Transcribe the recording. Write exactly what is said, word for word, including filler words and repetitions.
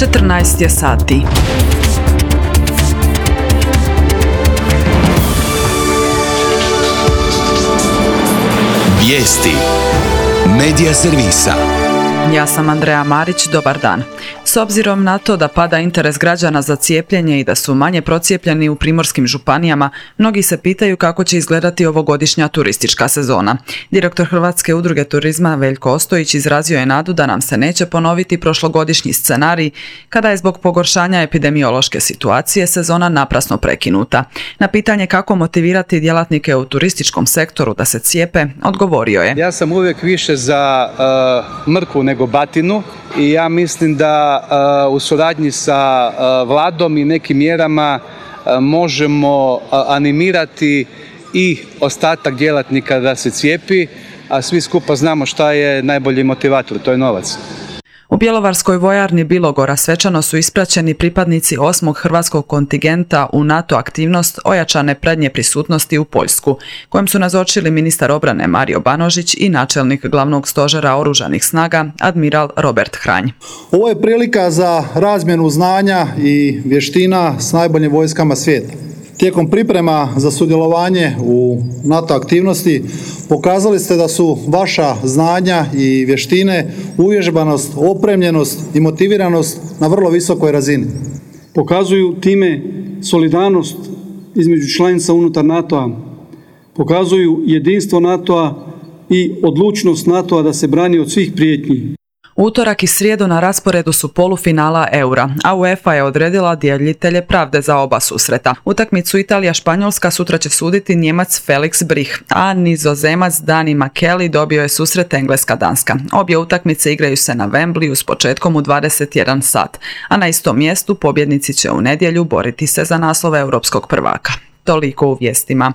četrnaest je sati. Vijesti Medija servisa. Ja sam Andreja Marić, dobar dan. S obzirom na to da pada interes građana za cijepljenje i da su manje procijepljeni u primorskim županijama, mnogi se pitaju kako će izgledati ovogodišnja turistička sezona. Direktor Hrvatske udruge turizma Veljko Ostojić izrazio je nadu da nam se neće ponoviti prošlogodišnji scenarij kada je zbog pogoršanja epidemiološke situacije sezona naprasno prekinuta. Na pitanje kako motivirati djelatnike u turističkom sektoru da se cijepe, odgovorio je: Ja sam uvijek više za uh, mrkvu nego batinu i ja mislim da uh, u suradnji sa uh, vladom i nekim mjerama uh, možemo uh, animirati i ostatak djelatnika da se cijepi, a svi skupa znamo šta je najbolji motivator, to je novac. U bjelovarskoj vojarni Bilogora svečano su ispraćeni pripadnici osmog hrvatskog kontingenta u NATO aktivnost ojačane prednje prisutnosti u Poljsku, kojem su nazočili ministar obrane Mario Banožić i načelnik glavnog stožera oružanih snaga admiral Robert Hranj. Ovo je prilika za razmjenu znanja i vještina s najboljim vojskama svijeta. Tijekom priprema za sudjelovanje u NATO aktivnosti pokazali ste da su vaša znanja i vještine, uvježbanost, opremljenost i motiviranost na vrlo visokoj razini. Pokazuju time solidarnost između članica unutar NATO-a, pokazuju jedinstvo NATO-a i odlučnost NATO-a da se brani od svih prijetnji. Utorak i srijedu na rasporedu su polufinala Eura, a UEFA je odredila djelitelje pravde za oba susreta. Utakmicu Italija-Španjolska sutra će suditi Njemac Felix Brich, a Nizozemac Dani Makeli dobio je susret Engleska-Danska. Obje utakmice igraju se na Wembleyu s početkom u dvadeset jedan sat, a na istom mjestu pobjednici će u nedjelju boriti se za naslov europskog prvaka. Toliko u vijestima.